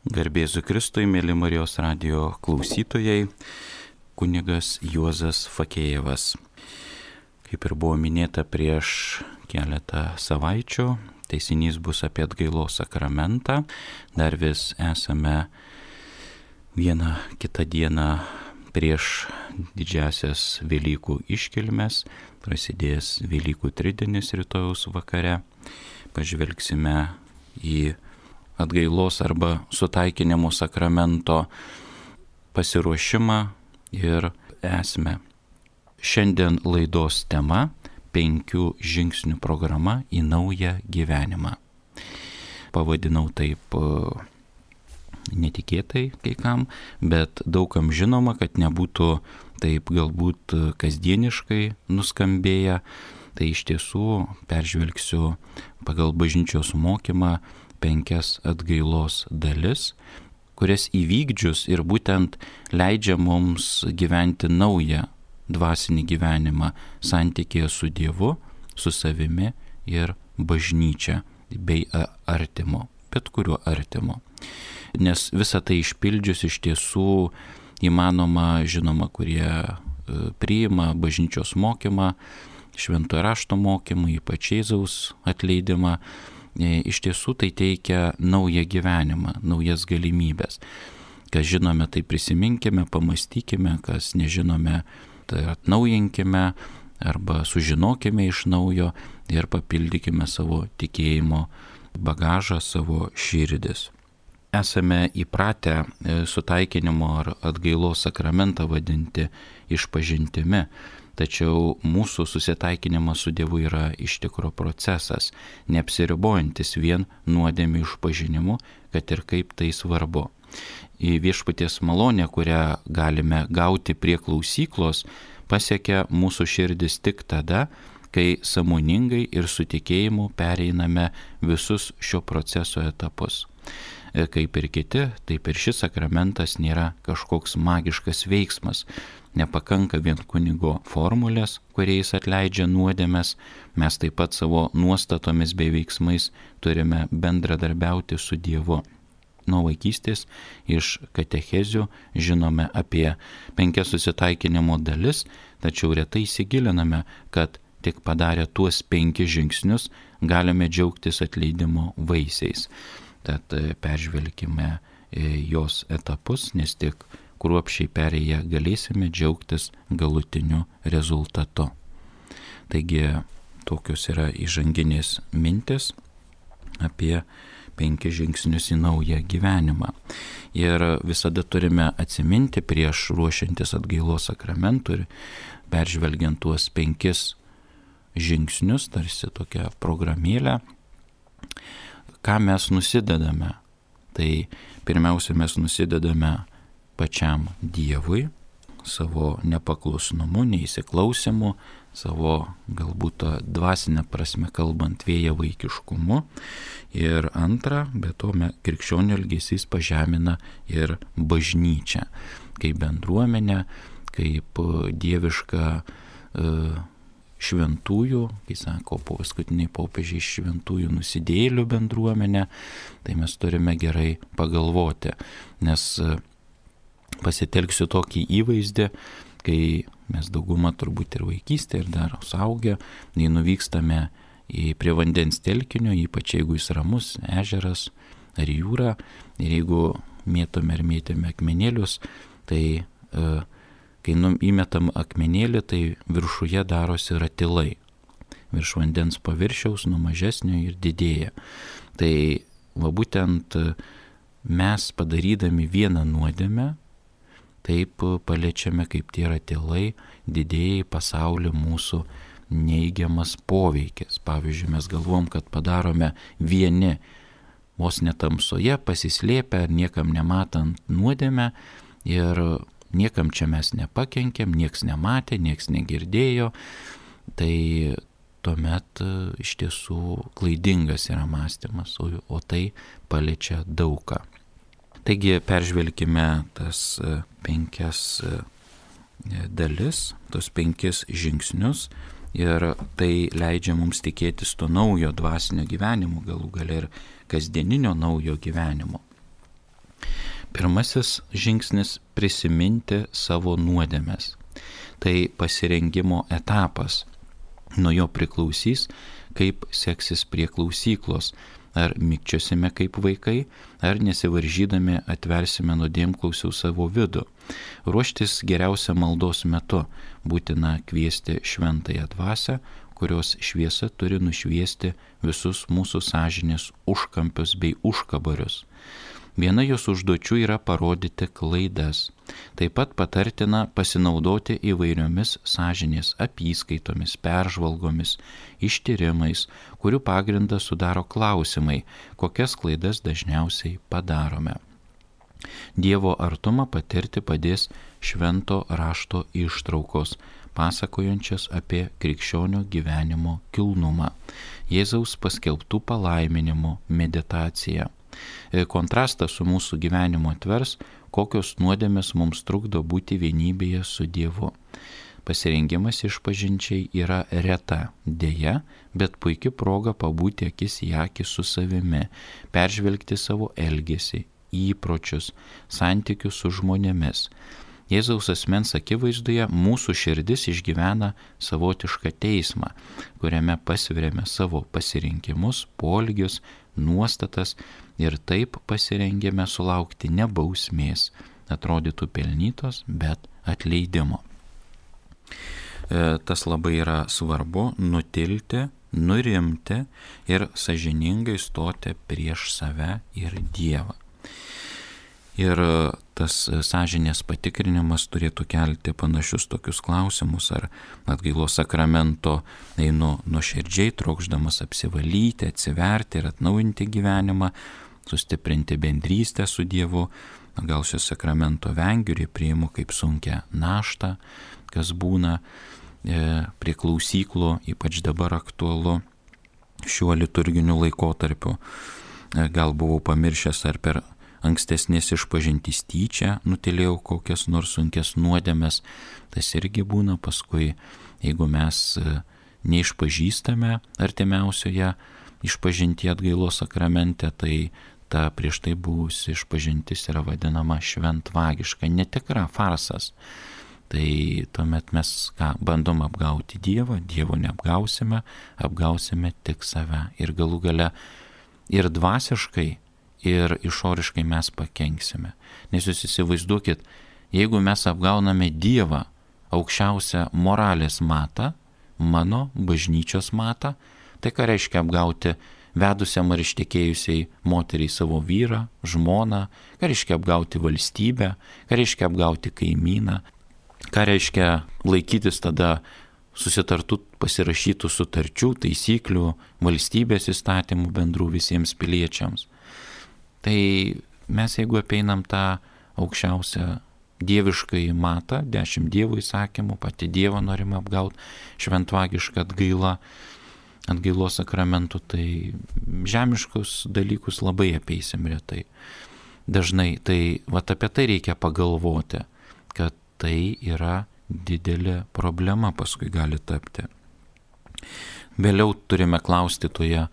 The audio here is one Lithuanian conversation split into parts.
Garbėzu Kristui, mėly Marijos radijo klausytojai, kunigas Juozas Fakėjevas. Kaip ir buvo minėta prieš keletą savaičių, teisinys bus apie atgailos sakramentą. Dar vis esame vieną kitą dieną prieš didžiasias Velykų iškilmes, prasidės Velykų tridienis rytojaus vakare. Pažvelgsime į atgailos arba sutaikinimo sakramento pasiruošimą ir esmę. Šiandien laidos tema - 5 žingsnių programa į naują gyvenimą. Pavadinau taip netikėtai kai kam, bet daugam žinoma, kad nebūtų taip galbūt kasdieniškai nuskambėję. Tai iš tiesų peržvelgsiu pagal bažnyčios mokymą 5 atgailos dalis, kurias įvykdžius ir būtent leidžia mums gyventi naują dvasinį gyvenimą santykėje su Dievu, su savimi ir bažnyčia bei artimu, bet kuriuo artimu. Nes visą tai išpildžius iš tiesų įmanoma, žinoma, kurie priima bažnyčios mokymą, šventojo rašto mokymą, ypač Jėzaus atleidimą, iš tiesų tai teikia naują gyvenimą, naujas galimybės. Kas žinome, tai prisiminkime, pamastykime, kas nežinome, tai atnaujinkime arba sužinokime iš naujo ir papildykime savo tikėjimo bagažą, savo širdis. Esame įpratę sutaikinimo ar atgailos sakramentą vadinti išpažintimi. Tačiau mūsų susitaikinimas su Dievu yra iš tikro procesas, neapsiribojantis vien nuodėmių išpažinimu, kad ir kaip tai svarbu. Į viešpaties malonę, kurią galime gauti prie klausyklos, pasiekia mūsų širdis tik tada, kai sąmoningai ir su tikėjimu pereiname visus šio proceso etapus. Kaip ir kiti, taip ir šis sakramentas nėra kažkoks magiškas veiksmas. Nepakanka vien kunigo formulės, kuriais atleidžia nuodėmes, mes taip pat savo nuostatomis bei veiksmais turime bendradarbiauti su Dievu. Nuo vaikystės iš katechezių žinome apie 5 susitaikinimo dalis, tačiau retai įsigiliname, kad tik padarę tuos 5 žingsnius galime džiaugtis atleidimo vaisiais. Tad peržvelkime jos etapus, nes tik kruopščiai perėję galėsime džiaugtis galutiniu rezultatu. Taigi tokios yra įžanginės mintis apie 5 žingsnius į naują gyvenimą. Ir visada turime atsiminti prieš ruošiantis atgailos sakramentui ir peržvelgiant tuos 5 žingsnius, tarsi tokią programėlę, ką mes nusidedame. Tai pirmiausia, mes nusidedame pačiam Dievui, savo nepaklusnumu, neįsiklausimu, savo galbūt dvasinę prasme kalbant vėjavaikiškumu. Ir antra, be to krikščionių elgesys pažemina ir bažnyčią, kaip bendruomenę, kaip dievišką šventųjų, kai sako paskutiniai popiežiai, šventųjų nusidėjėlių bendruomenę, tai mes turime gerai pagalvoti, nes pasitelksiu tokį įvaizdį, kai mes dauguma turbūt ir vaikystė, ir dar suaugę, nei nuvykstame prie vandens telkinio, ypač jeigu jis ramus, ežeras ar jūra, ir jeigu mėtome ir mėtėme akmenėlius, tai kai įmetam akmenėlį, tai viršuje darosi ratilai. Virš vandens paviršiaus nuo mažesnio ir didėja. Tai va būtent mes padarydami vieną nuodėmę, taip paliečiame kaip tie ratilai, didėja į pasaulį mūsų neigiamas poveikis. Pavyzdžiui, mes galvom, kad padarome vieni vos netamsoje, pasislėpę, niekam nematant nuodėmę ir niekam čia mes nepakenkėm, nieks nematė, nieks negirdėjo, tai tuomet iš tiesų klaidingas yra mąstymas, o tai paliečia daugą. Taigi peržvelkime tas 5 dalis, tos 5 žingsnius ir tai leidžia mums tikėtis to naujo dvasinio gyvenimo, galų gale ir kasdieninio naujo gyvenimo. Pirmasis žingsnis - prisiminti savo nuodėmes. Tai pasirengimo etapas. Nuo jo priklausys, kaip seksis prie klausyklos. Ar mikčiosime kaip vaikai, ar nesivaržydami atversime nuodėmklausių savo vidų. Ruoštis geriausia maldos metu. Būtina kviesti šventąją dvasią, kurios šviesa turi nušviesti visus mūsų sąžinės užkampius bei užkabarius. Viena jos užduočių yra parodyti klaidas. Taip pat patartina pasinaudoti įvairiomis sąžinės apyskaitomis, peržvalgomis, ištyrimais, kurių pagrindą sudaro klausimai, kokias klaidas dažniausiai padarome. Dievo artumą patirti padės švento rašto ištraukos, pasakojančias apie krikščionio gyvenimo kilnumą, Jėzaus paskelbtų palaiminimų meditacija. Kontrastą su mūsų gyvenimu atvers, kokios nuodėmės mums trukdo būti vienybėje su Dievu. Pasirengimas išpažinčiai yra reta, deja, bet puikia proga pabūti akis į akį su savimi, peržvelgti savo elgesį, įpročius, santykius su žmonėmis. Jėzaus asmens akivaizdoje mūsų širdis išgyvena savotišką teismą, kuriame pasveriame savo pasirinkimus, poelgius, nuostatas ir taip pasirengėme sulaukti ne bausmės, atrodytų pelnytos, bet atleidimo. Tas labai yra svarbu - nutilti, nurimti ir sąžiningai stoti prieš save ir Dievą. Ir tas sąžinės patikrinimas turėtų kelti panašius tokius klausimus, ar atgailos sakramento einu nuoširdžiai, trokšdamas apsivalyti, atsiverti ir atnaujinti gyvenimą, sustiprinti bendrystę su Dievu, gal šio sakramento vengiu ir priimu kaip sunkią naštą, kas būna prie klausyklų, ypač dabar aktualu šiuo liturginiu laikotarpiu. Gal buvau pamiršęs ar per ankstesnės išpažintys tyčia nutilėjau kokias nors sunkes nuodėmes, tas irgi būna paskui, jeigu mes neišpažįstame artimiausioje išpažintyje atgailos sakramente, tai ta prieš tai buvusi išpažintis yra vadinama šventvagiška, netikra, farsas. Tai tuomet mes bandom apgauti Dievą, Dievo neapgausime, apgausime tik save ir galų gale ir dvasiškai, ir išoriškai mes pakenksime. Nes jūs įsivaizduokit, jeigu mes apgauname Dievą, aukščiausią moralės matą, mano bažnyčios matą, tai ką reiškia apgauti vedusiam ar ištekėjusiai moteriai savo vyrą, žmoną, ką reiškia apgauti valstybę, ką reiškia apgauti kaimyną, ką reiškia laikytis tada susitartų pasirašytų sutarčių, taisyklių, valstybės įstatymų bendrų visiems piliečiams. Tai mes jeigu apeinam tą aukščiausią dieviškai matą, 10 Dievo įsakymų, pati Dievą norime apgauti, šventvagišką atgailos sakramentų, tai žemiškus dalykus labai apeisim retai. Dažnai tai apie tai reikia pagalvoti, kad tai yra didelė problema paskui gali tapti. Vėliau turime klausti toje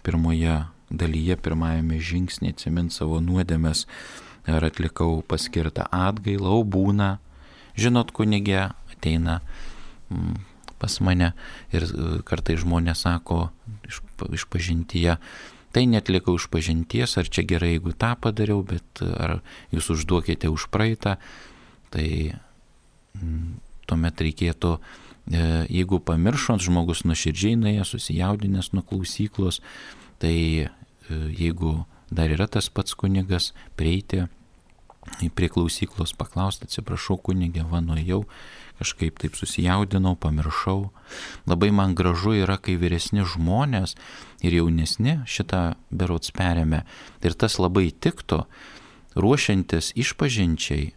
pirmoje dalyje, pirmajame žingsnėje, atsiminti savo nuodėmes, ar atlikau paskirtą atgailą, o būna, žinot, kunigė ateina pas mane ir kartais žmonės sako išpažintyje, tai netlikau išpažinties, ar čia gerai, jeigu tą padariau, bet ar jūs užduokite už praeitą, tai tuomet reikėtų, jeigu pamiršot, žmogus nuoširdžiai nuėjęs, susijaudinęs nuo klausyklos, tai jeigu dar yra tas pats kunigas, prieiti prie klausyklos, paklausti, atsiprašau kunigė, nuėjau, kažkaip taip susijaudinau, pamiršau. Labai man gražu yra, kai vyresni žmonės ir jaunesni šitą berods perėmė. Ir tas labai tiktų, ruošiantis išpažinčiai,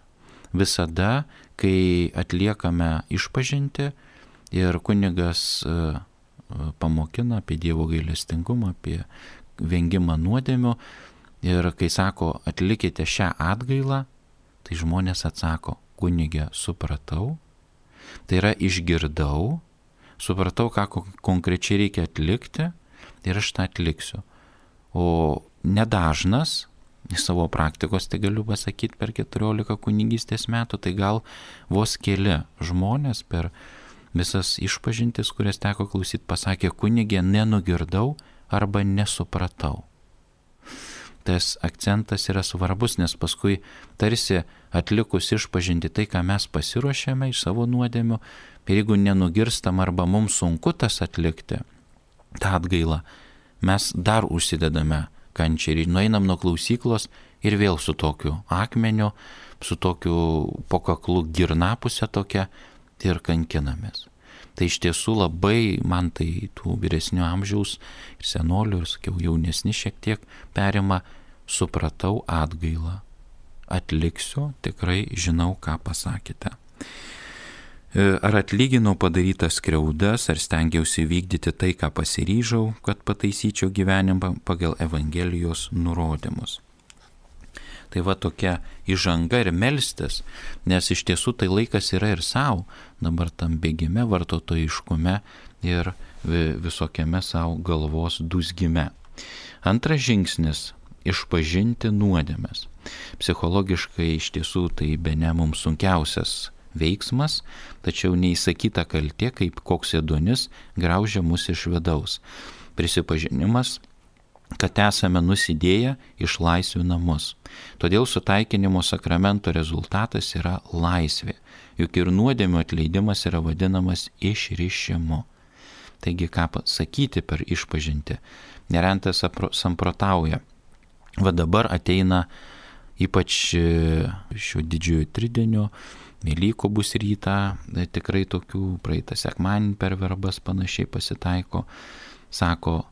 visada, kai atliekame išpažinti ir kunigas pamokina apie Dievo gailestingumą, apie vengimą nuodėmių ir kai sako, atlikite šią atgailą, tai žmonės atsako, kunigė, supratau, tai yra išgirdau, supratau, ką konkrečiai reikia atlikti ir aš tą atliksiu. O nedažnas iš savo praktikos, tai galiu pasakyti, per 14 kunigystės metų, tai gal vos keli žmonės per visas išpažintis, kurias teko klausyti, pasakė: kunigė, nenugirdau arba nesupratau. Tas akcentas yra svarbus, nes paskui tarsi atlikus išpažinti tai, ką mes pasiruošėme iš savo nuodėmių, ir jeigu nenugirstam arba mums sunku tas atlikti, tą atgailą, mes dar užsidedame kančią ir nueinam nuo klausyklos ir vėl su tokiu akmeniu, su tokiu po kaklu girnapuse tokia ir kankinamės. Tai iš tiesų labai man tai tų vyresnio amžiaus ir senolių, ir sakiau, jaunesni šiek tiek perima: supratau atgailą, atliksiu, tikrai žinau, ką pasakėte. Ar atlyginau padarytas skriaudas, ar stengiausi vykdyti tai, ką pasiryžau, kad pataisyčiau gyvenimą pagal Evangelijos nurodymus. Tai va tokia įžanga ir melstis, nes iš tiesų tai laikas yra ir savo, dabar tam bėgime, vartotojiškume ir visokiame savo galvos dūzgime. Antras žingsnis – išpažinti nuodėmes. Psichologiškai iš tiesų tai bene mums sunkiausias veiksmas, tačiau neįsakyta kaltė, kaip koks ėduonis, graužia mus iš vidaus. Prisipažinimas, kad esame nusidėję, išlaisvina mus. Todėl sutaikinimo sakramento rezultatas yra laisvė, juk ir nuodėmių atleidimas yra vadinamas išrišimu. Taigi ką sakyti per išpažinti? Nerentas samprotauja. Va dabar ateina ypač šio didžiojo tridienio, Velykų bus rytą, tikrai tokių, praeitą sekmadienį per verbas panašiai pasitaiko, sako: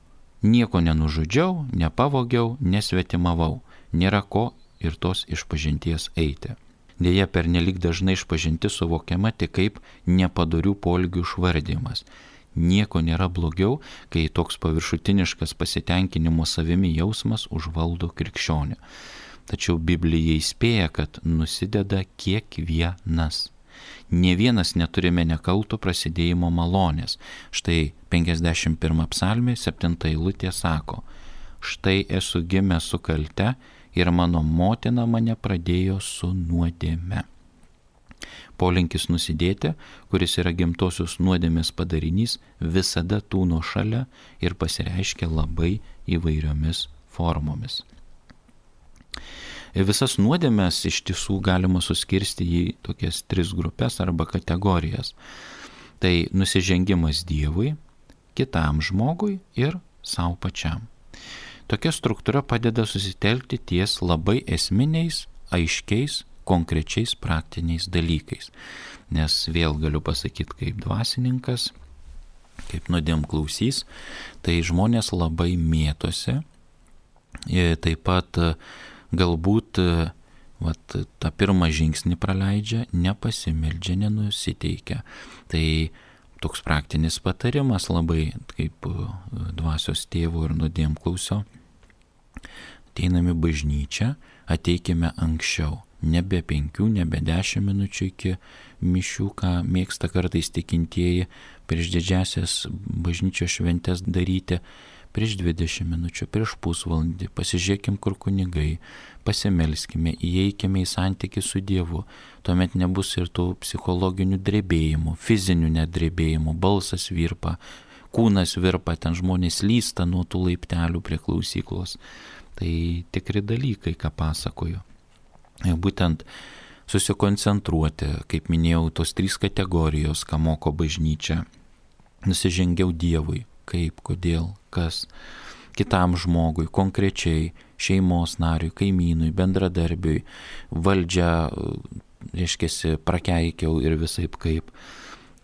nieko nenužudžiau, nepavogiau, nesvetimavau, nėra ko ir tos išpažinties eiti. Deja, pernelyg dažnai išpažinti suvokiama tik kaip nepadorių poelgių išvardymas. Nieko nėra blogiau, kai toks paviršutiniškas pasitenkinimo savimi jausmas užvaldo krikščionį. Tačiau Biblija įspėja, kad nusideda kiekvienas. Nė vienas neturime nekalto prasidėjimo malonės. Štai 51 psalmė 7 eilutė sako: štai esu gimęs su kalte ir mano motina mane pradėjo su nuodėme. Polinkis nusidėti, kuris yra gimtosios nuodėmės padarinys, visada tūno šalia ir pasireiškia labai įvairiomis formomis. Visas nuodėmes iš tiesų galima suskirsti į tokias 3 grupės arba kategorijas. Tai nusižengimas Dievui, kitam žmogui ir savo pačiam. Tokia struktūra padeda susitelkti ties labai esminiais, aiškiais, konkrečiais praktiniais dalykais. Nes vėl galiu pasakyti kaip dvasininkas, kaip nuodėmklausys, tai žmonės labai mėtosi, taip pat galbūt tą pirmą žingsnį praleidžia, nepasimeldžia, nenusiteikia. Tai toks praktinis patarimas labai kaip dvasios tėvo ir nuodėmklausio. Ateiname bažnyčią, ateikime anksčiau, nebe 5, nebe 10 minučių iki mišių, ką mėgsta kartais tikintieji prieš didžiasias bažnyčios šventes daryti, prieš 20 minučių, prieš pusvalandį, pasižiūrėkim, kur kunigai, pasimelskime, įeikime į santykį su Dievu, tuomet nebus ir tų psichologinių drebėjimų, fizinių nedrebėjimų, balsas virpa, kūnas virpa, ten žmonės lysta nuo tų laiptelių prie klausyklos. Tai tikri dalykai, ką pasakoju. Būtent susikoncentruoti, kaip minėjau, tos 3 kategorijos, ką moko bažnyčia. Nusižengiau Dievui. Kaip, kodėl, kas, kitam žmogui, konkrečiai, šeimos nariui, kaimynui, bendradarbiui, valdžią, reiškiasi, prakeikiau ir visaip kaip,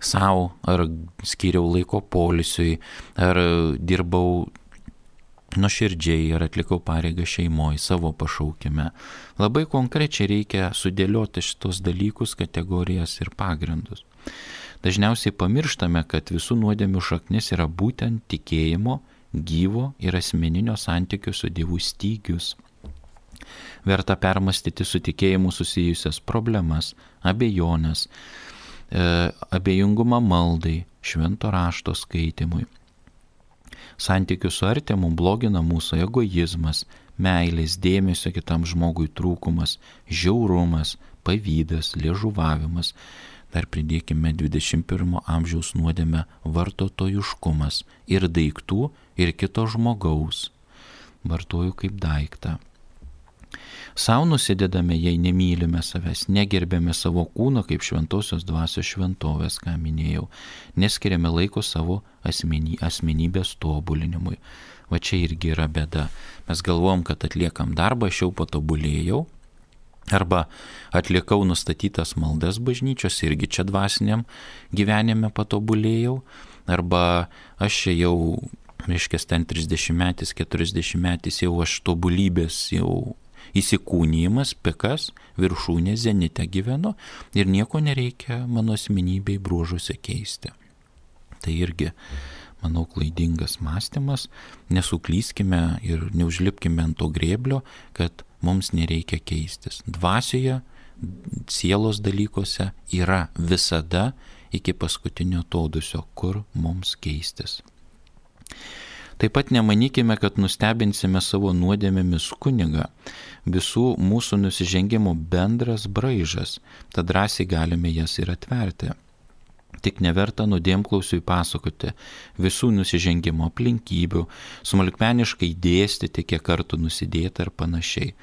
savo, ar skyriau laiko poilsiui, ar dirbau nuoširdžiai, ar atlikau pareigą šeimoje, savo pašaukime. Labai konkrečiai reikia sudėlioti šitos dalykus, kategorijas ir pagrindus. Dažniausiai pamirštame, kad visų nuodėmių šaknis yra būtent tikėjimo, gyvo ir asmeninio santykio su Dievu stygius. Verta permastyti su tikėjimu susijusias problemas, abejonės, abejingumą maldai, švento rašto skaitimui. Santykių su artimu blogina mūsų egoizmas, meilės, dėmesio kitam žmogui trūkumas, žiaurumas, pavydas, liežuvavimas. Dar pridėkime 21 amžiaus nuodėmę vartotojiškumas ir daiktų, ir kito žmogaus. Vartoju kaip daiktą. Sau nusidedame, jei nemylime savęs, negerbėme savo kūno kaip šventosios dvasios šventovės, ką minėjau, neskiriame laiko savo asmenybės tobulinimui. Va čia irgi yra bėda. Mes galvom, kad atliekam darbą, aš jau patobulėjau, arba atlikau nustatytas maldas bažnyčios, irgi čia dvasiniam gyvenime patobulėjau, arba aš čia jau, reiškia, ten 30-metis, 40-metis jau aš tobulybės jau įsikūnijimas, pikas, viršūnė, zenite gyvenu ir nieko nereikia mano asmenybei bruožuose keisti. Tai irgi, manau, klaidingas mąstymas, nesuklyskime ir neužlipkime ant to grėblio, kad mums nereikia keistis. Dvasioje, sielos dalykuose yra visada iki paskutinio atodūsio, kur mums keistis. Taip pat nemanykime, kad nustebinsime savo nuodėmėmis kunigą. Visų mūsų nusižengimų bendras braižas, tad drąsiai galime jas ir atverti. Tik neverta nuodėmklausiui pasakoti visų nusižengimo aplinkybių, smulkmeniškai dėstyti, kiek kartų nusidėta ir panašiai.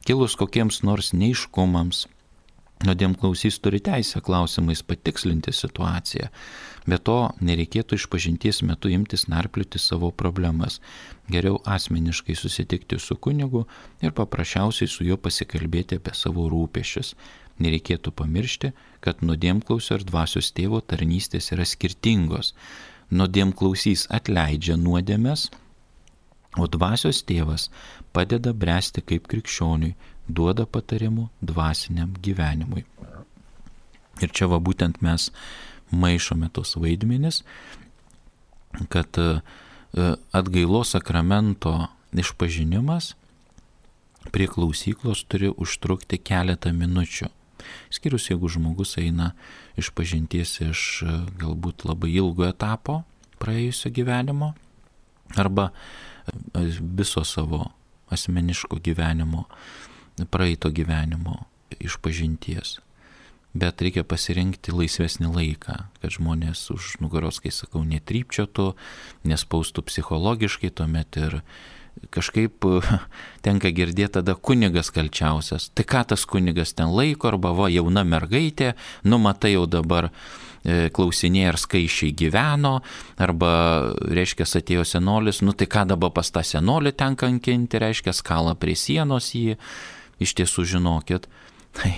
Kilus kokiems nors neiškumams, nuodėmklausys turi teisę klausimais patikslinti situaciją. Be to, nereikėtų išpažinties metu imtis narplioti savo problemas. Geriau asmeniškai susitikti su kunigu ir paprasčiausiai su juo pasikalbėti apie savo rūpesčius. Nereikėtų pamiršti, kad nuodėmklausio ir dvasios tėvo tarnystės yra skirtingos. Nuodėmklausys atleidžia nuodėmes, o dvasios tėvas padeda bręsti kaip krikščioniui, duoda patarimų dvasiniam gyvenimui. Ir čia va būtent mes maišome tos vaidmenis, kad atgailos sakramento išpažinimas prie klausyklos turi užtrukti keletą minučių. Skyrus, jeigu žmogus eina išpažinties iš galbūt labai ilgo etapo praėjusio gyvenimo arba viso savo asmeniško gyvenimo, praeito gyvenimo išpažinties. Bet reikia pasirinkti laisvesnį laiką, kad žmonės už nugaros, kai sakau, netrypčiotų, nespaustų psichologiškai, tuomet ir kažkaip tenka girdėti tada kunigas kalčiausias. Tai ką tas kunigas ten laiko, arba va, jauna mergaitė, matai jau dabar klausinėje ar skaičiai gyveno, arba, reiškia, atėjo senolis, tai ką dabar pas tą senolį ten kankinti, reiškia, skala prie sienos jį. Iš tiesų, žinokit, tai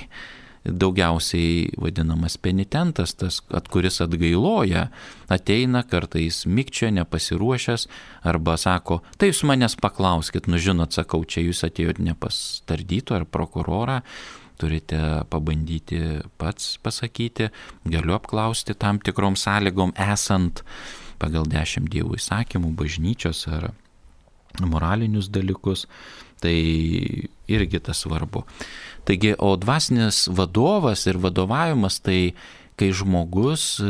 daugiausiai vadinamas penitentas, tas, kuris atgailoja, ateina kartais mikčia, nepasiruošęs, arba sako, tai jūs manęs paklauskit, žinot, sakau, čia jūs atėjot ne pas tardytoją ar prokurorą, turite pabandyti pats pasakyti, galiu apklausti tam tikrom sąlygom, esant pagal 10 Dievo įsakymų, bažnyčios ar moralinius dalykus, tai irgi tas svarbu. Taigi, o dvasinis vadovas ir vadovavimas, tai kai žmogus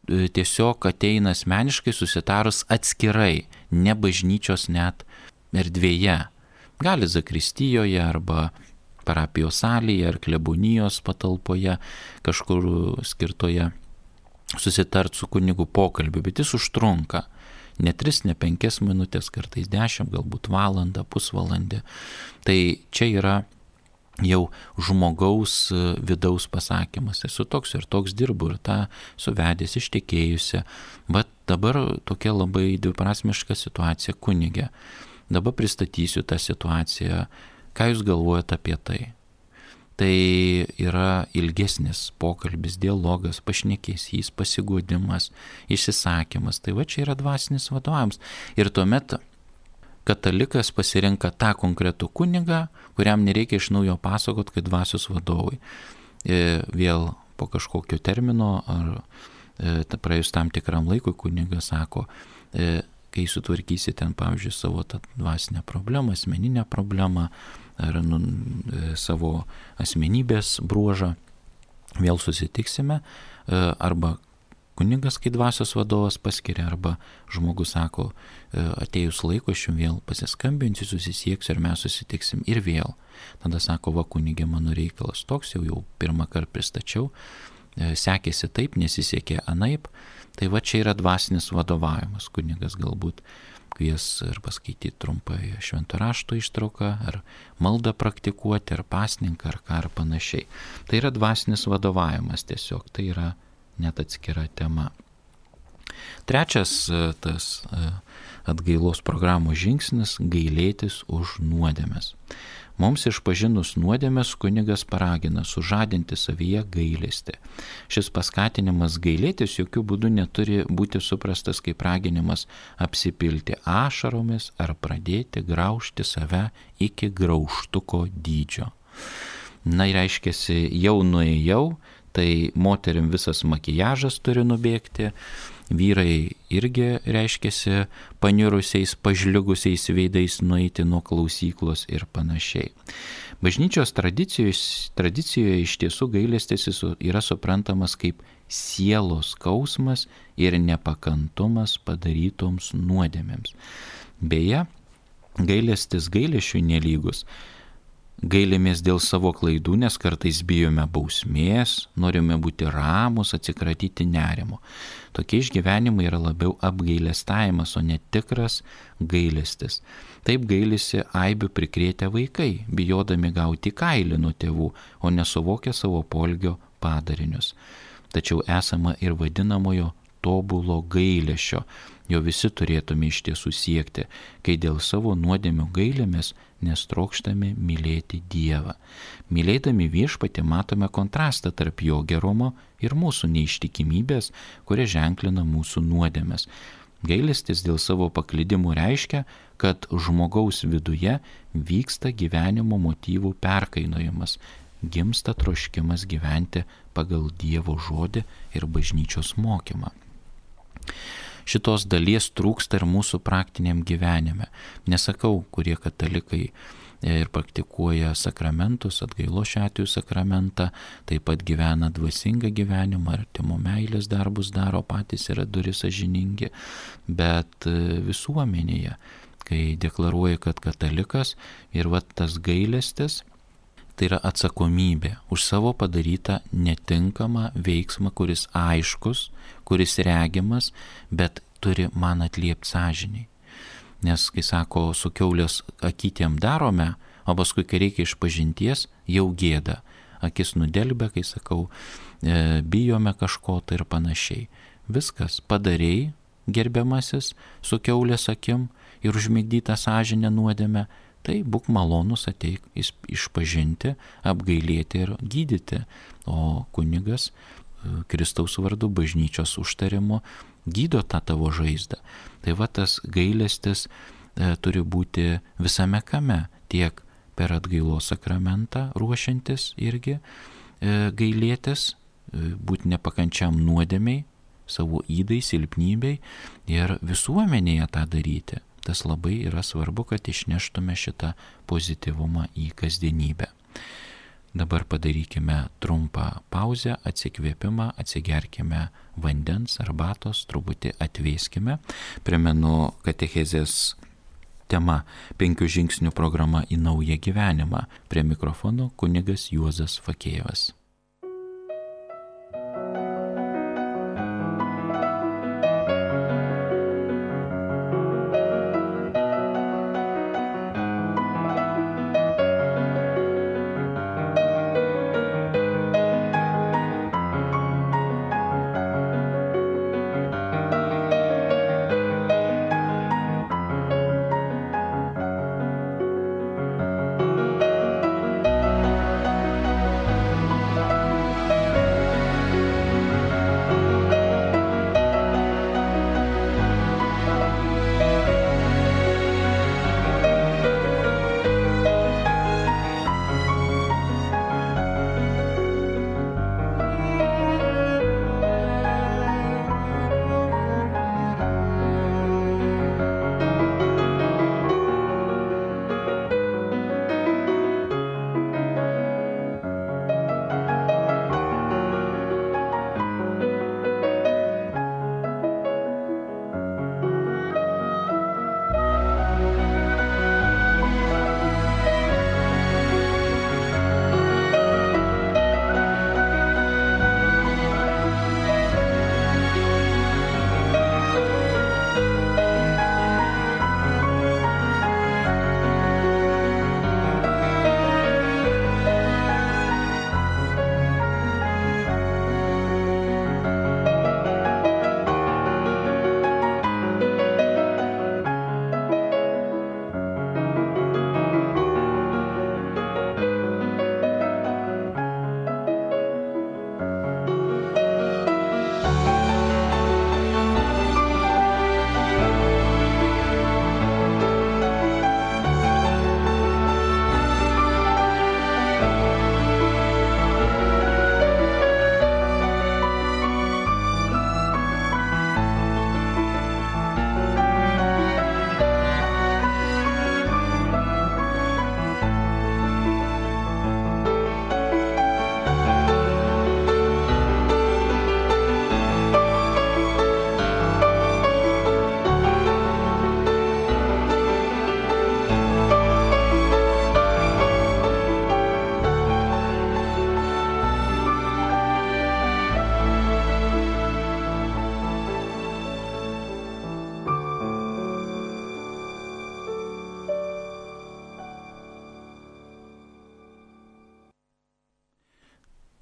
tiesiog ateina asmeniškai susitarus atskirai, ne bažnyčios net erdvėje. Gali zakristijoje arba parapijos salėje ar klebonijos patalpoje kažkur skirtoje susitart su kunigu pokalbiu, bet jis užtrunka. Ne 3, ne 5 minutės, kartais 10, galbūt valandą, pusvalandį. Tai čia yra jau žmogaus vidaus pasakymas. Esu toks ir toks, dirbu ir tą suvedęs, ištekėjusi. Bet dabar tokia labai dviprasmiška situacija kunige. Dabar pristatysiu tą situaciją. Ką jūs galvojate apie tai? Tai yra ilgesnis pokalbis, dialogas, pašnekesys, pasiguodimas, išsisakymas. Tai va čia yra dvasinis vadovavimas. Ir tuomet katalikas pasirenka tą konkretų kunigą, kuriam nereikia iš naujo pasakot, kad dvasios vadovai. Vėl po kažkokio termino ar praėjus tam tikram laikui kunigas sako, kai sutvarkysi ten, pavyzdžiui, savo tą dvasinę problemą, asmeninę problemą ar savo asmenybės bruožą, vėl susitiksime arba kunigas, kai dvasios vadovas paskiria, arba žmogus sako, atėjus laiko aš jums vėl pasiskambinsiu, susisieksiu ir mes susitiksim ir vėl. Tada sako, va kunigė, mano reikalas toks, jau pirmą kartą pristačiau, sekėsi taip, nesisekė anaip. Tai va čia yra dvasinis vadovavimas. Kunigas galbūt kvies ir paskaityti trumpai švento rašto ištrauką, ar maldą praktikuoti, ar pasninką, ar ką, ar panašiai. Tai yra dvasinis vadovavimas tiesiog, tai yra net atskira tema. Trečias tas atgailos programos žingsnis – gailėtis už nuodėmes. Mums išpažinus nuodėmes kunigas paragina sužadinti savyje gailestį. Šis paskatinimas gailėtis jokių būdų neturi būti suprastas kaip raginimas apsipilti ašaromis ar pradėti graužti save iki graužtuko dydžio. Na ir reiškiasi, jau nuėjau, tai moterim visas makijažas turi nubėgti, vyrai irgi reiškiasi panirusiais, pažliugusiais veidais nueiti nuo klausyklos ir panašiai. Bažnyčios tradicijoje iš tiesų gailestis yra suprantamas kaip sielos skausmas ir nepakantumas padarytoms nuodėmėms. Beje, gailestis gailesčiui nelygus. Gailimės dėl savo klaidų, nes kartais bijome bausmės, norime būti ramus, atsikratyti nerimo. Tokie išgyvenimai yra labiau apgailestavimas, o ne tikras gailestis. Taip gailisi aibių prikrėtę vaikai, bijodami gauti kailį nuo tėvų, o nesuvokia savo poelgio padarinius. Tačiau esama ir vadinamojo tobulo gailesčio, jo visi turėtume iš tiesų siekti, kai dėl savo nuodėmių gailimės, nes trokštame mylėti Dievą. Mylėdami Viešpatį matome kontrastą tarp jo gerumo ir mūsų neištikimybės, kuria ženklina mūsų nuodėmes. Gailestis dėl savo paklydimų reiškia, kad žmogaus viduje vyksta gyvenimo motyvų perkainojimas, gimsta troškimas gyventi pagal Dievo žodį ir bažnyčios mokymą. Šitos dalies trūksta ir mūsų praktiniam gyvenime. Nesakau, kurie katalikai ir praktikuoja sakramentus, atgailos šiuo atveju sakramentą, taip pat gyvena dvasingą gyvenimą, artimo meilės darbus daro, patys yra duri sąžiningi, bet visuomenėje, kai deklaruoja, kad katalikas ir va tas gailestis, tai yra atsakomybė už savo padarytą netinkamą veiksmą, kuris aiškus, kuris regimas, bet turi man atliepti sąžiniai. Nes, kai sako, su kiaulės akytėm darome, o paskui, kai reikia išpažinties, jau gėda. Akis nudelbia, kai sakau, bijome kažko tai ir panašiai. Viskas, padarei, gerbiamasis, su kiaulės akim ir užmigdytą sąžinę nuodėmę, tai būk malonus, ateik išpažinti, apgailėti ir gydyti. O kunigas Kristaus vardu bažnyčios užtarimu gydo tą tavo žaizdą. Tai va tas gailestis turi būti visame kame, tiek per atgailos sakramentą ruošiantis irgi gailėtis, būti nepakančiam nuodėmiai, savo ydai, silpnybei ir visuomenėje tą daryti. Tas labai yra svarbu, kad išneštume šitą pozityvumą į kasdienybę. Dabar padarykime trumpą pauzę, atsikvėpimą, atsigerkime vandens, arbatos, truputį atvėskime. Primenu katechezės tema 5 žingsnių programa į naują gyvenimą. Prie mikrofono kunigas Juozas Fakėjevas.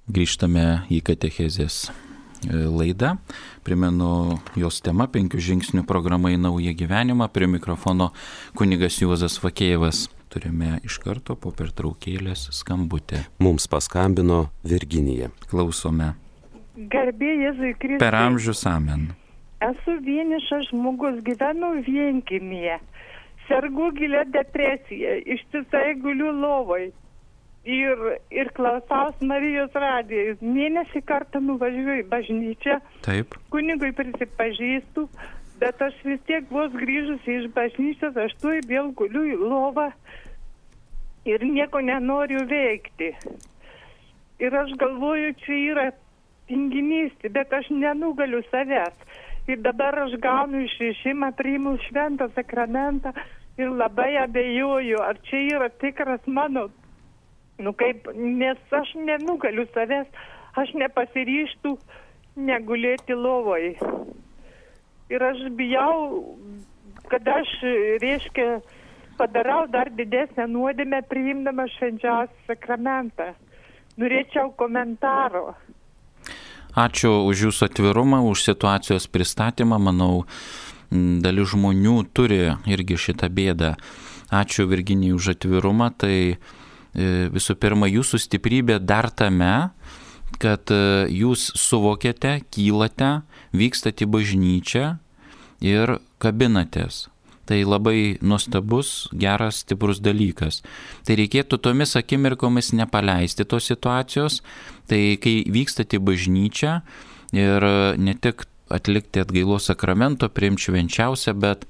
Grįžtame į katechezės laidą. Primenu jos tema 5 žingsnių programa į naują gyvenimą. Prie mikrofono kunigas Juozas Vakėjevas. Turime iš karto po pertraukėlės skambutį. Mums paskambino Virginija. Klausome. Garbė Jėzui Kristui. Per amžius amen. Esu vienišas žmogus, gyvenu vienkiemyje. Sergu gilia depresija, ištisai guliu lovoj. Ir klausaus Marijos radijos. Mėnesį kartą nuvažiuoju į bažnyčią. Taip. Kunigui prisipažįstu, bet aš vis tiek vos grįžusi iš bažnyčios, aš tuoj vėl guliu į lovą ir nieko nenoriu veikti. Ir aš galvoju, čia yra tinginystė, bet aš nenugaliu savęs. Ir dabar aš gaunu išrišimą, priimu šventą sakramentą ir labai abejoju, ar čia yra tikras mano. Nes aš nenugaliu savęs, aš nepasiryštų negulėti lovoj. Ir aš bijau, kad aš, padarau dar didesnę nuodėmę priimdama švenčiausią sakramentą. Norėčiau komentaro. Ačiū už jūsų atvirumą, už situacijos pristatymą. Manau, dalis žmonių turi irgi šitą bėdą. Ačiū Virginijai už atvirumą. Tai visų pirma, jūsų stiprybė dar tame, kad jūs suvokėte, kylate, vykstate į bažnyčią ir kabinatės. Tai labai nuostabus, geras, stiprus dalykas. Tai reikėtų tomis akimirkomis nepaleisti tos situacijos. Tai kai vykstate į bažnyčią ir ne tik atlikti atgailos sakramento, priimti švenčiausią, bet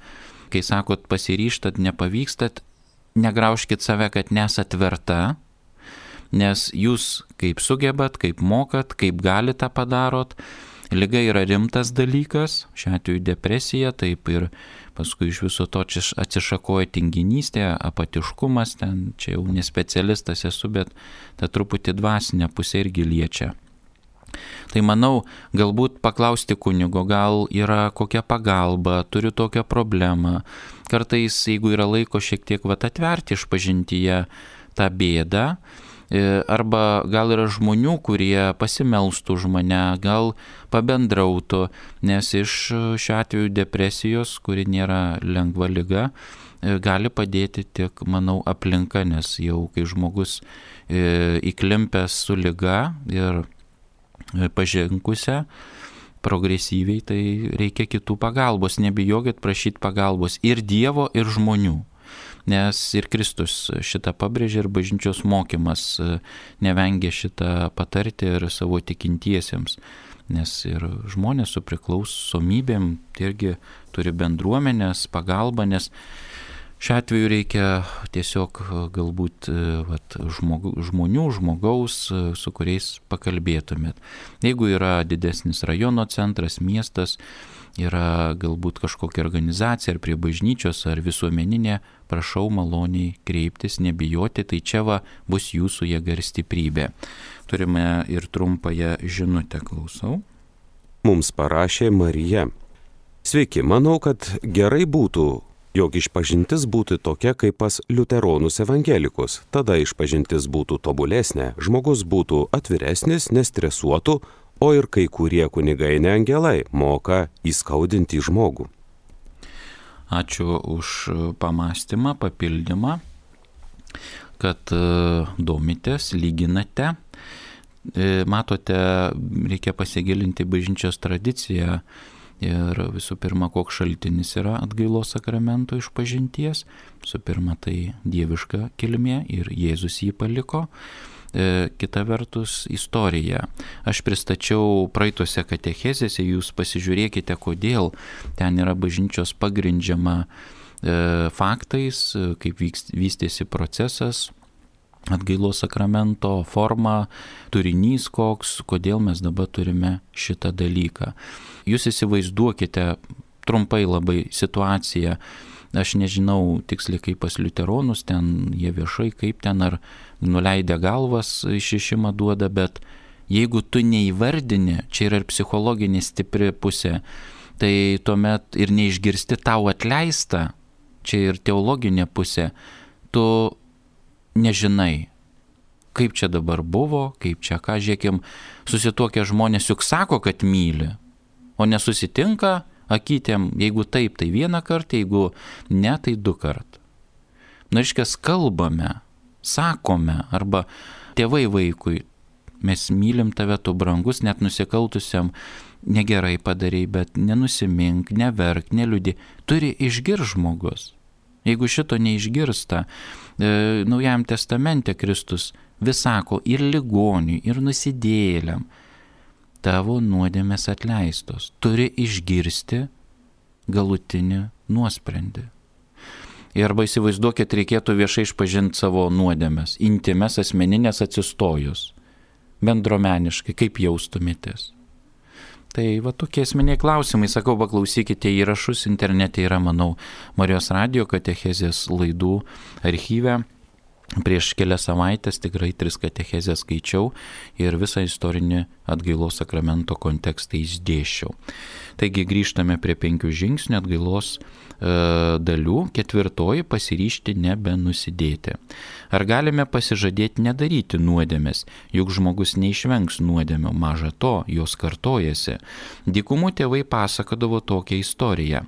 kai sakot pasiryžtat, nepavykstat, negraužkit save, kad nesat verta, nes jūs kaip sugebat, kaip mokat, kaip galite tą padarot. Liga yra rimtas dalykas, šiuo atveju depresija, taip ir paskui iš viso to atsišakoja tinginystė, apatiškumas, ten čia jau nespecialistas esu, bet ta truputį dvasinė pusė irgi liečia. Tai manau, galbūt paklausti kunigo, gal yra kokia pagalba, turiu tokią problemą. Kartais, jeigu yra laiko šiek tiek atverti išpažintyje tą bėdą, arba gal yra žmonių, kurie pasimelstų už mane, gal pabendrautų, nes iš šiuo atveju depresijos, kuri nėra lengva liga, gali padėti tik, manau, aplinka, nes jau kai žmogus įklimpęs su liga ir pažengusią progresyviai, tai reikia kitų pagalbos. Nebijokit prašyti pagalbos ir Dievo, ir žmonių. Nes ir Kristus šitą pabrėžė ir bažnyčios mokymas nevengia šitą patarti ir savo tikintiesiems. Nes ir žmonės su priklausomybėm irgi turi bendruomenės, pagalbą, nes šiuo atveju reikia tiesiog galbūt žmonių, žmogaus, su kuriais pakalbėtumėt. Jeigu yra didesnis rajono centras, miestas, yra galbūt kažkokia organizacija ar prie bažnyčios ar visuomeninė, prašau maloniai kreiptis, nebijoti, tai čia bus jūsų jėga ir stiprybė. Turime ir trumpąją žinutę, klausau. Mums parašė Marija. Sveiki, manau, kad gerai būtų, jog išpažintis būtų tokia kaip pas liuteronus evangelikus. Tada išpažintis būtų tobulesnė, žmogus būtų atviresnis, nestresuotų, o ir kai kurie kunigai ne angelai moka įskaudinti žmogų. Ačiū už pamąstymą, papildymą, kad domitės, lyginate. Matote, reikia pasigilinti bažnyčios tradiciją. Ir visų pirma, koks šaltinis yra atgailos sakramento išpažinties. Visų pirma, tai dieviška kilmė ir Jėzus jį paliko. Kita vertus, istorija. Aš pristačiau praeitose katechezėse, jūs pasižiūrėkite, kodėl ten yra bažnyčios pagrindžiama faktais, kaip vystėsi procesas, atgailos sakramento forma, turinys koks, kodėl mes dabar turime šitą dalyką. Jūs įsivaizduokite trumpai labai situaciją. Aš nežinau tiksliai kaip pas liuteronus, ten jie viešai kaip ten ar nuleidę galvas išrišimą duoda, bet jeigu tu neįvardini, čia yra ir psichologinė stipri pusė, tai tuomet ir neišgirsti tau atleista, čia ir teologinė pusė, tu nežinai, kaip čia dabar buvo, kaip čia ką, žiūrėkim, susituokę žmonės juk sako, kad myli, o nesusitinka akytėm, jeigu taip, tai vieną kartą, jeigu ne, tai 2 kartų. Na, reiškia, kalbame, sakome, arba tėvai vaikui, mes mylim tave, tu brangus, net nusikaltusiam, negerai padarei, bet nenusimink, neverk, neliūdė. Turi išgirsti žmogus. Jeigu šito neišgirsta, Naujajam testamente Kristus vis sako ir ligoniui, ir nusidėjėliam, tavo nuodėmės atleistos. Turi išgirsti galutinį nuosprendį. Ir arba įsivaizduokit, reikėtų viešai išpažinti savo nuodėmės, intimes, asmeninės atsistojus, bendruomeniškai, kaip jaustumėtės. Tai va tokie esminiai klausimai, sakau, paklausykite įrašus, internete yra, manau, Marijos radijo katechezės laidų archyve. Prieš kelias savaitės tikrai 3 katechezės skaičiau ir visą istorinį atgailos sakramento kontekstą išdėsčiau. Taigi grįžtame prie 5 žingsnių atgailos dalių. 4. Pasiryžti nebenusidėti. Ar galime pasižadėti nedaryti nuodėmės, juk žmogus neišvengs nuodėmio, maža to, jos kartojasi. Dykumų tėvai pasakodavo tokią istoriją.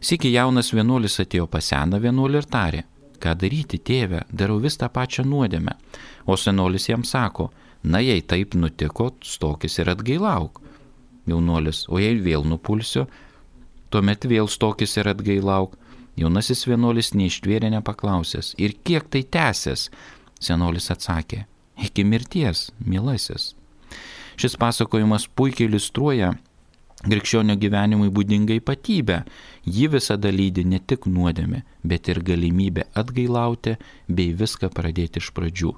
Sykį jaunas vienuolis atėjo pas seną vienuolį ir tarė: ką daryti, tėve, darau vis tą pačią nuodėmę. O senolis jam sako: na, jei taip nutiko, stokis ir atgailauk. Jaunuolis: o jei vėl nupulsiu, tuomet vėl stokis ir atgailauk. Jaunasis vienuolis neištvėrė nepaklausęs: ir kiek tai tęsės? Senolis atsakė: iki mirties, mielasis. Šis pasakojimas puikiai iliustruoja krikščionio gyvenimui būdingą ypatybę. Ji visada lydi ne tik nuodėmė, bet ir galimybė atgailauti bei viską pradėti iš pradžių.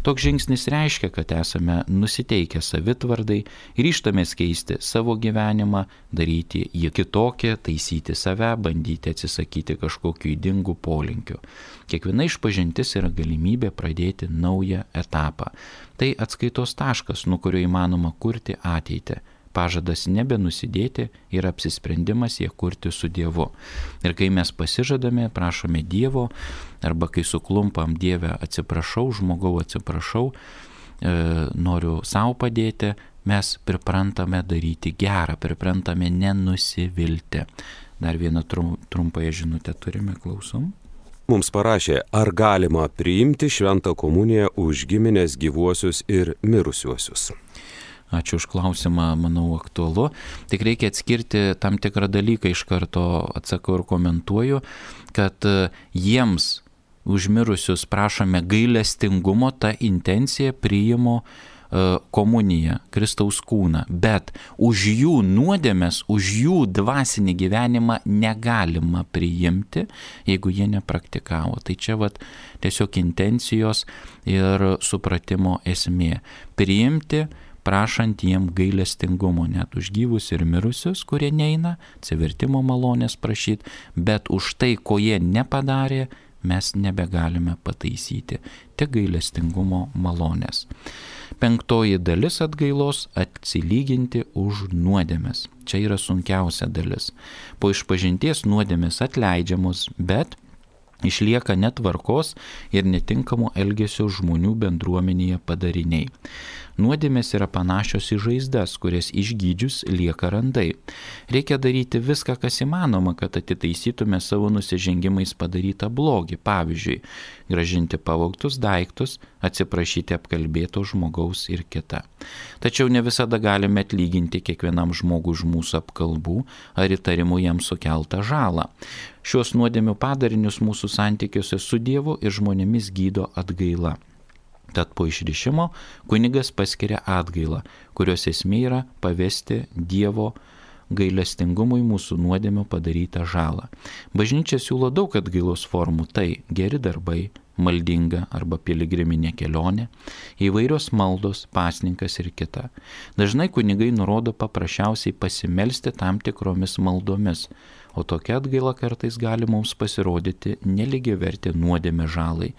Toks žingsnis reiškia, kad esame nusiteikę savitvardai, ryžtamės keisti savo gyvenimą, daryti jį kitokį, taisyti save, bandyti atsisakyti kažkokių ydingų polinkių. Kiekviena išpažintis yra galimybė pradėti naują etapą. Tai atskaitos taškas, nuo kurio įmanoma kurti ateitį. Pažadas nebenusidėti ir apsisprendimas ją kurti su Dievu. Ir kai mes pasižadame, prašome Dievo, arba kai suklumpam: Dieve, atsiprašau, žmogau, atsiprašau, noriu savo padėti, mes priprantame daryti gerą, priprantame nenusivilti. Dar vieną trumpąją žinutę turime, klausom. Mums parašė: ar galima priimti šventą komuniją už giminės gyvuosius ir mirusiuosius? Ačiū už klausimą, manau, aktualu. Tik reikia atskirti tam tikrą dalyką, iš karto atsakau ir komentuoju, kad jiems užmirusius prašome gailestingumo, ta intencija priimu komuniją, Kristaus kūną, bet už jų nuodėmes, už jų dvasinį gyvenimą negalima priimti, jeigu jie nepraktikavo. Tai čia tiesiog intencijos ir supratimo esmė. Priimti, prašant jiem gailestingumo net už gyvus ir mirusius, kurie neina, atsivertimo malonės prašyti, bet už tai, ko jie nepadarė, mes nebegalime pataisyti. Tik gailestingumo malonės. 5 dalis atgailos - atsilyginti už nuodėmes. Čia yra sunkiausia dalis. Po išpažinties nuodėmes atleidžiamos, bet išlieka netvarkos ir netinkamo elgesio žmonių bendruomenėje padariniai. Nuodėmės yra panašios į žaizdas, kurias išgydžius lieka randai. Reikia daryti viską, kas įmanoma, kad atitaisytume savo nusižengimais padarytą blogį. Pavyzdžiui, grąžinti pavogtus daiktus, atsiprašyti apkalbėto žmogaus ir kita. Tačiau ne visada galime atlyginti kiekvienam žmogui už mūsų apkalbų ar įtarimų jam sukeltą žalą. Šios nuodėmių padarinius mūsų santykiuose su Dievu ir žmonėmis gydo atgaila. Tad po išrišimo kunigas paskiria atgailą, kurios esmė yra pavesti Dievo gailestingumui mūsų nuodėmių padarytą žalą. Bažnyčia siūlo daug atgailos formų - tai geri darbai, maldinga arba piligriminė kelionė, įvairios maldos, pasninkas ir kita. Dažnai kunigai nurodo paprasčiausiai pasimelsti tam tikromis maldomis, o tokia atgaila kartais gali mums pasirodyti nelygiavertė nuodėmė žalai.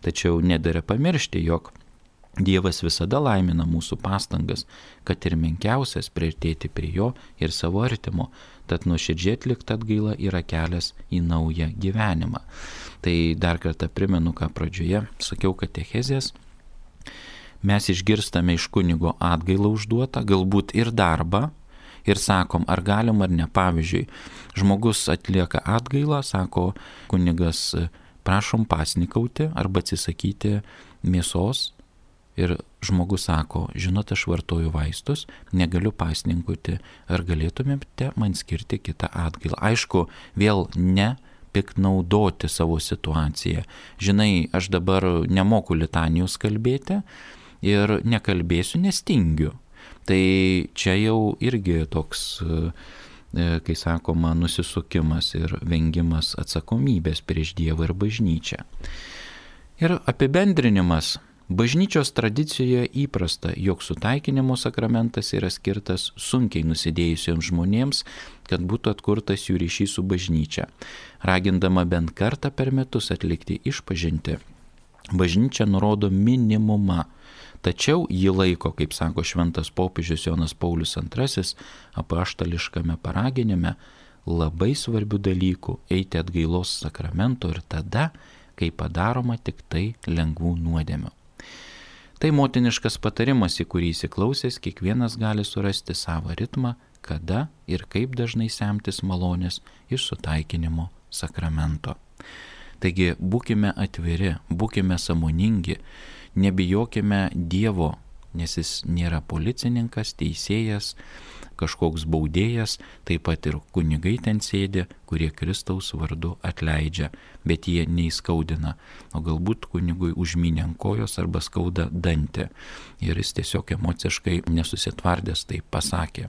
Tačiau nedera pamiršti, jog Dievas visada laimina mūsų pastangas, kad ir menkiausias priartėti prie jo ir savo artimo, tad nuoširdžiai atlikta atgaila yra kelias į naują gyvenimą. Tai dar kartą primenu, ką pradžioje sakiau katechezės. mes išgirstame iš kunigo atgailą užduotą, galbūt ir darbą, ir sakom, ar galim ar ne. Pavyzdžiui, žmogus atlieka atgailą, sako kunigas, prašom pasnikauti arba atsisakyti mėsos. Ir žmogus sako, žinot, aš vartoju vaistus, negaliu pasninkauti, ar galėtumėte man skirti kitą atgailą. Aišku, vėl ne piknaudoti savo situaciją. Žinai, aš dabar nemoku litanijos kalbėti ir nekalbėsiu, nes tingiu. Tai čia jau irgi toks, kai sakoma, nusisukimas ir vengimas atsakomybės prieš Dievą ir bažnyčią. Ir apibendrinimas. Bažnyčios tradicijoje įprasta, jog sutaikinimo sakramentas yra skirtas sunkiai nusidėjusiems žmonėms, kad būtų atkurtas jų ryšys su bažnyčia. Ragindama bent kartą per metus atlikti išpažintį, bažnyčia nurodo minimumą. Tačiau jį laiko, kaip sako šventas popiežius Jonas Paulius II, apaštališkame paraginime, labai svarbių dalykų eiti atgailos sakramento ir tada, kai padaroma tik tai lengvų nuodėmių. Tai motiniškas patarimas, į kurį įsiklausęs kiekvienas gali surasti savo ritmą, kada ir kaip dažnai semtis malonės iš sutaikinimo sakramento. Taigi būkime atviri, būkime sąmoningi, nebijokime Dievo, nes jis nėra policininkas, teisėjas, kažkoks baudėjas, taip pat ir kunigai ten sėdi, kurie Kristaus vardu atleidžia, bet jie neįskaudina, o galbūt kunigui užmynė ant kojos arba skauda dantį ir jis tiesiog emociškai nesusitvardęs tai pasakė.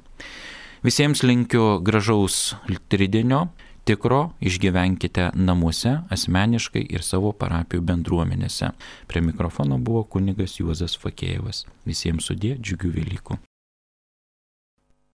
Visiems linkiu gražaus tridienio, tikro, išgyvenkite namuose, asmeniškai ir savo parapijų bendruomenėse. Prie mikrofono buvo kunigas Juozas Fakėjevas. Visiems sudie, džiugių Velykų.